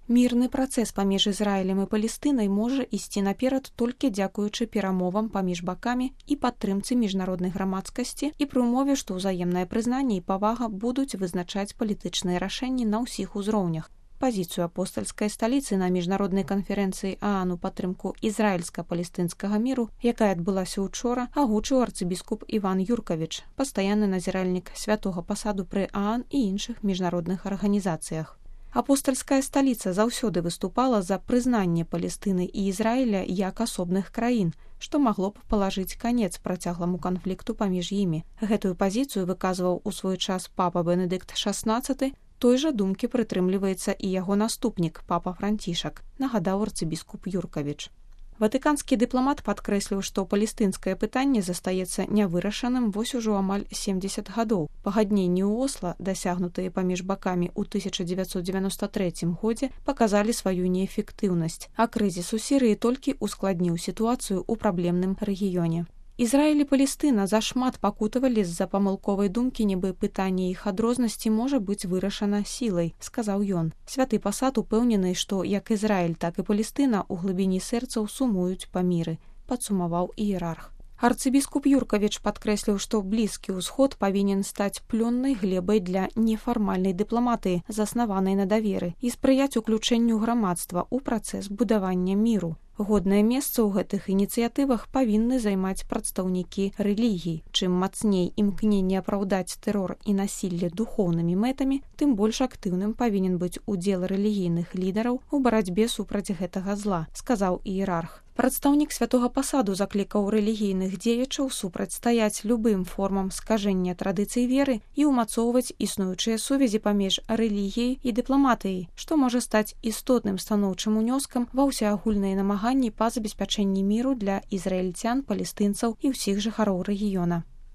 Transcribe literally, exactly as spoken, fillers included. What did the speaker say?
Мірны працэс паміж Ізраілем і Палестынай можа ісці наперад толькі дзякуючы перамовам паміж бакамі і падтрымцы міжнароднай грамадскасці і пры ўмове, што ўзаемнае прызнанне і павага будуць вызначаць палітычныя рашэнні на ўсіх узроўнях. Пазіцыю апостальскай сталіцы на міжнароднай канферэнцыі ААН у падтрымку ізраільска-палестынскага міру, якая адбылася учора, агучыў арцыбіскуп Іван Юркавіч, пастаянны назіральнік святога пасаду пры ААН і іншых міжнародных арганізацыях. Апостальская сталіца заўсёды выступала за прызнанне Палестыны і Ізраіля як асобных краін, што магло б палажыць канец працягламу канфлікту паміж імі. Гэтую пазіцыю выказваў у свой час папа Бенедыкт шаснаццаты, той жа думкі прытрымліваецца і яго наступнік, папа Францішак, нагадаў арцыбіскуп Юркавіч. Ватыканскі дыпламат падкрэсліў, што палестынскае пытанне застаецца нявырашаным вось ужо амаль сямдзесят гадоў. Пагадненні ў Осла, дасягнутыя паміж бакамі ў тысяча дзевяцьсот дзевяноста трэцім годзе, паказалі сваю неэфектыўнасць, а крызіс у Сірыі толькі ускладніў сітуацыю ў праблемным рэгіёне. Ізраіль і Палестына зашмат пакутавалі з-за памылковай думкі, нібы пытанне іх адрознасці можа быць вырашана сілай, сказаў ён. Святы пасад упэўнены, што як Ізраіль, так і Палестына ў глыбіні сэрцаў сумуюць па міры, падсумаваў іерарх. Арцыбіскуп Юркавіч падкрэсліў, што Блізкі ўсход павінен стаць плённай глебай для нефармальнай дыпламатыі, заснаванай на даверы, і спрыяць уключэнню грамадства ў працэс будавання міру. Годнае месца ў гэтых ініцыятывах павінны займаць прадстаўнікі рэлігій. Чым мацней імкненне апраўдаць тэрор і насілле духоўнымі мэтамі, тым больш актыўным павінен быць удзел рэлігійных лідараў у барацьбе супраць гэтага зла, сказаў іерарх. Прадстаўнік святога пасаду заклікаў рэлігійных дзеячаў супрацьстаяць любым формам скажэння традыцый веры і ўмацоўваць існуючыя сувязі паміж рэлігіяй і дыпламатыяй, што можа стаць істотным станоўчым унёскам ва ўсеагульныя намаганні па забеспячэнні міру для ізраільцян, палестынцаў і ўсіх жыхароў рэгіёна.